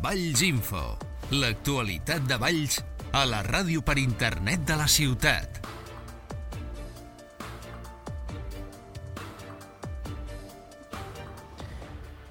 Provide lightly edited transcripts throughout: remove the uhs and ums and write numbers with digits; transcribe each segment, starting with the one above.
Valls Info, l'actualitat de Valls a la ràdio per internet de la ciutat.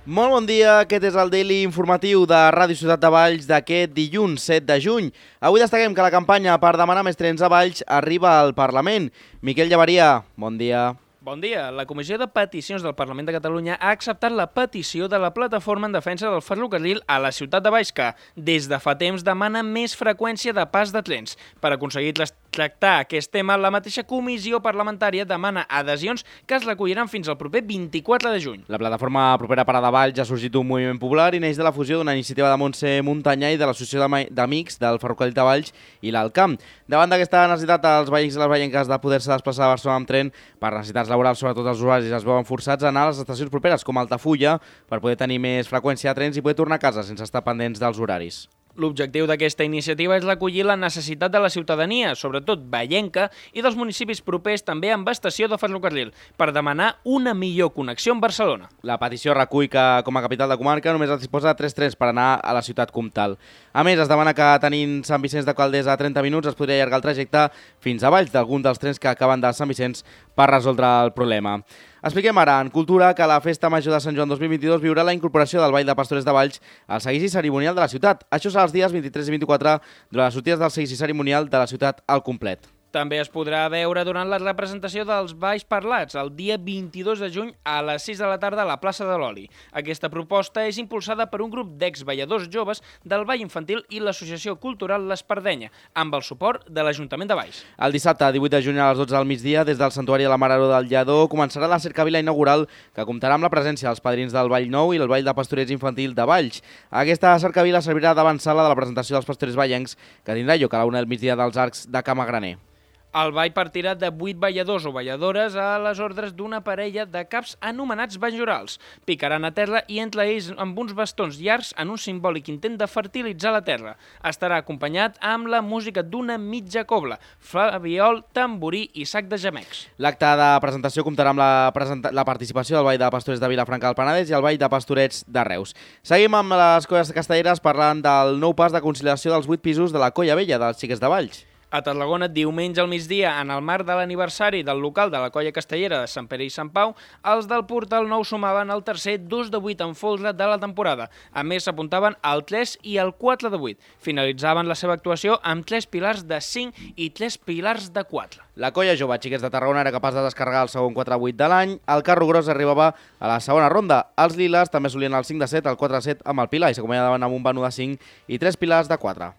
Molt bon dia, aquest és el Daily informatiu de Ràdio Ciutat de Valls d'aquest dilluns 7 de juny. Avui destaquem que la campanya per demanar més trens a Valls arriba al Parlament. Miquel Llaveria, bon dia. Bon dia. La Comissió de Peticions del Parlament de Catalunya ha acceptat la petició de la Plataforma en Defensa del Ferrocarril a la ciutat de Valls, que des de fa temps demana més freqüència de pas de trens. Per aconseguir tractar aquest tema, la mateixa comissió parlamentària demana adhesions que es recolliran fins al proper 24 de juny. La plataforma propera Parada Valls ha sorgit un moviment popular i neix de la fusió d'una iniciativa de Montse Muntanyà i de l'Associació d'Amics del Ferrocarril de Valls i l'Alcamp. Davant d'aquesta necessitat, els veïns i les veïnques de poder-se desplaçar a Barcelona amb tren per necessitats laborals, sobretot els usuaris es veuen forçats a anar a les estacions properes, com Altafulla, per poder tenir més freqüència de trens i poder tornar a casa sense estar pendents dels horaris. L'objectiu d'aquesta iniciativa és recollir la necessitat de la ciutadania, sobretot vallenca, i dels municipis propers també amb estació de ferrocarril, per demanar una millor connexió amb Barcelona. La petició recull que, com a capital de comarca, només es disposa de 3 trens per anar a la ciutat comtal. A més, es demana que, tenint Sant Vicenç de Calders a 30 minuts, es podria allargar el trajecte fins a Valls d'algun dels trens que acaben de Sant Vicenç per resoldre el problema. Expliquem ara, en cultura, que la Festa Major de Sant Joan 2022 viurà la incorporació del Ball de Pastorets de Valls al seguici cerimonial de la ciutat. Això serà els dies 23 i 24 durant les sortides del seguici cerimonial de la ciutat al complet. També es podrà veure durant la representació dels balls parlats el dia 22 de juny a les 6 de la tarda a la plaça de l'Oli. Aquesta proposta és impulsada per un grup d'exballadors joves del Ball Infantil i l'Associació Cultural l'Espardenya, amb el suport de l'Ajuntament de Valls. El dissabte, 18 de juny a les 12 del migdia, des del Santuari de la Mare del Lledó, començarà la cercavila inaugural que comptarà amb la presència dels padrins del Ball Nou i el Ball de Pastorets Infantil de Valls. Aquesta cercavila servirà d'avançala de la presentació dels pastorets vallencs, que tindrà lloc a la 1 del migdia dels Arcs de Camagraner. El ball partirà de 8 balladors o balladores a les ordres d'una parella de caps anomenats bajorals. Picaran a terra i entre ells amb uns bastons llargs en un simbòlic intent de fertilitzar la terra. Estarà acompanyat amb la música d'una mitja cobla, flabiol, tamborí i sac de gemecs. L'acte de presentació comptarà amb la participació del Ball de Pastorets de Vilafranca del Penedès i el Ball de Pastorets de Reus. Seguim amb les colles castelleres parlant del nou pas de conciliació dels 8 pisos de la Colla Vella dels Xiquets de Valls. A Tarragona, diumenge al migdia, en el marc de l'aniversari del local de la Colla Castellera de Sant Pere i Sant Pau, els del Portal Nou sumaven el tercer 2 de 8 en folre de la temporada. A més, s'apuntaven al 3 i al 4 de 8. Finalitzaven la seva actuació amb 3 pilars de 5 i 3 pilars de 4. La Colla Jove Xiquets de Tarragona era capaç de descarregar el segon 4-8 de l'any. El carro gros arribava a la segona ronda. Els liles també solien el 5 de 7, el 4 de 7 amb el pilar i s'acomiadaven amb un vano de 5 i 3 pilars de 4.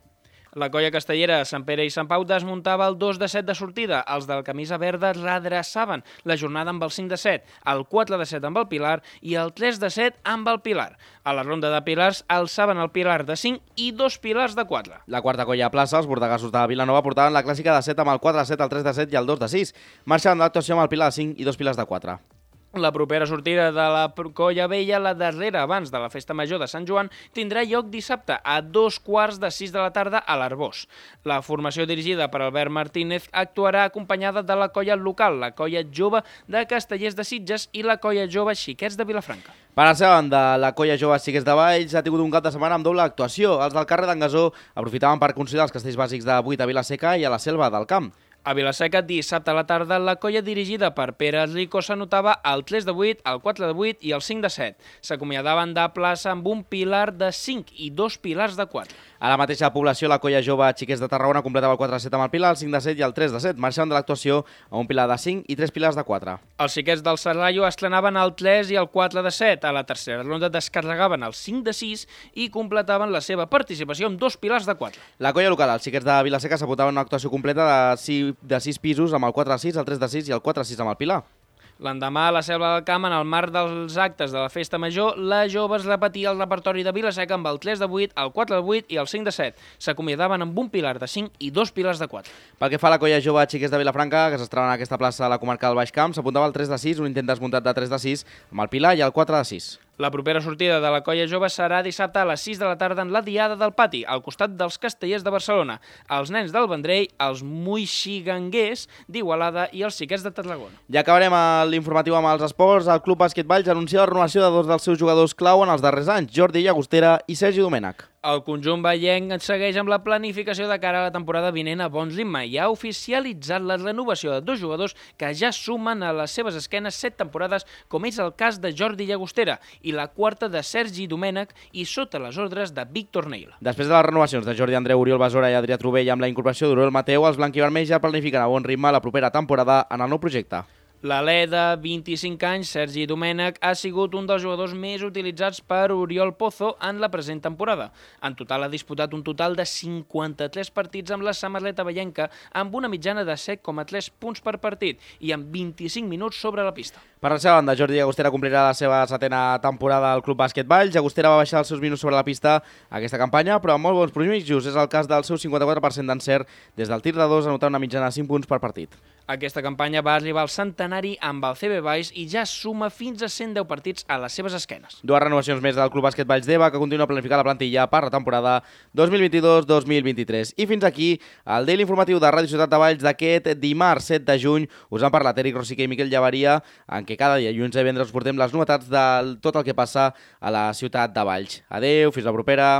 La Colla Castellera de Sant Pere i Sant Pau desmuntava el 2 de 7 de sortida. Els del camisa verda redreçaven la jornada amb el 5 de 7, el 4 de 7 amb el pilar i el 3 de 7 amb el pilar. A la ronda de pilars alçaven el pilar de 5 i 2 pilars de 4. La quarta colla a plaça, els bordegassos de Vilanova, portaven la clàssica de 7 amb el 4 de 7, el 3 de 7 i el 2 de 6. Marxaven de l'actuació amb el pilar de 5 i 2 pilars de 4. La propera sortida de la Colla Vella, la darrera abans de la Festa Major de Sant Joan, tindrà lloc dissabte a 2:15 de la tarda a l'Arbós. La formació dirigida per Albert Martínez actuarà acompanyada de la colla local, la Colla Jove de Castellers de Sitges i la Colla Jove Xiquets de Vilafranca. Per la seva banda, la Colla Jove Xiquets de Valls ha tingut un cap de setmana amb doble actuació. Els del carrer d'en Gasó aprofitaven per consolidar els castells bàsics de 8 a Vilaseca i a la Selva del Camp. A Vilaseca, dissabte a la tarda, la colla dirigida per Pere Rico s'anotava el 3 de 8, el 4 de 8 i el 5 de 7. S'acomiadaven de plaça amb un pilar de 5 i 2 pilars de 4. A la mateixa població, la Colla Jove Xiquets de Tarragona completava el 4 de 7 amb el pilar, el 5 de 7 i el 3 de 7. Marxaven de l'actuació a un pilar de 5 i 3 pilars de 4. Els xiquets del Serrallo estrenaven el 3 i el 4 de 7. A la tercera ronda descarregaven el 5 de 6 i completaven la seva participació amb 2 pilars de 4. La colla local, els Xiquets de Vilaseca, s'apuntaven una actuació completa de 6 pisos amb el 4 de 6, el 3 de 6 i el 4 de 6 amb el pilar. L'endemà, a la Selva del Camp, en el marc dels actes de la Festa Major, la Jove es repetia el repertori de Vilaseca amb el 3 de 8, el 4 de 8 i el 5 de 7. S'acomiadaven amb un pilar de 5 i 2 pilars de 4. Pel que fa a la Colla Jove Xiquets de Vilafranca, que s'estrenava en aquesta plaça a la comarca del Baix Camp, s'apuntava el 3 de 6, un intent desmuntat de 3 de 6 amb el pilar i el 4 de 6. La propera sortida de la Colla Jove serà dissabte a les 6 de la tarda en la Diada del Pati, al costat dels Castellers de Barcelona, els nens del Vendrell, els moixiganguers d'Igualada i els xiquets de Tarragona. Ja acabarem l'informatiu amb els esports. El Club Bàsquet Valls anuncia la renovació de dos dels seus jugadors clau en els darrers anys, Jordi Llagostera i Sergi Domènech. El conjunt veienc segueix amb la planificació de cara a la temporada vinent a bon ritme i ha oficialitzat la renovació de 2 jugadors que ja sumen a les seves esquenes 7 temporades, com és el cas de Jordi Llagostera i la 4ª de Sergi Domènech i sota les ordres de Víctor Neil. Després de les renovacions de Jordi Andreu, Oriol Besora i Adrià Trubell amb la incorporació d'Oriol Mateu, els blanquivermells ja planifiquen a bon ritme la propera temporada en el nou projecte. L'alè de 25 anys, Sergi Domènech, ha sigut un dels jugadors més utilitzats per Oriol Pozo en la present temporada. En total ha disputat un total de 53 partits amb la samarreta veienca, amb una mitjana de 7,3 punts per partit i amb 25 minuts sobre la pista. Per la seva banda, Jordi Llagostera complirà la seva 7ª temporada al Club Bàsquet Valls. Llagostera va baixar els seus minuts sobre la pista aquesta campanya, però amb molt bons promitjos. És el cas del seu 54% d'encert des del tir de 2, anotant una mitjana de 5 punts per partit. Aquesta campanya va arribar al centenari amb el CB Valls i ja suma fins a 110 partits a les seves esquenes. 2 renovacions més del Club Bàsquet Valls d'Eva, que continua a planificar la plantilla per la temporada 2022-2023. I fins aquí el Daily Informatiu de Ràdio Ciutat de Valls d'aquest dimarts 7 de juny. Us han parlat Eric Rosique i Miquel Llavaria, en què cada dia, dilluns i divendres, us portem les novetats de tot el que passa a la ciutat de Valls. Adeu, fins la propera.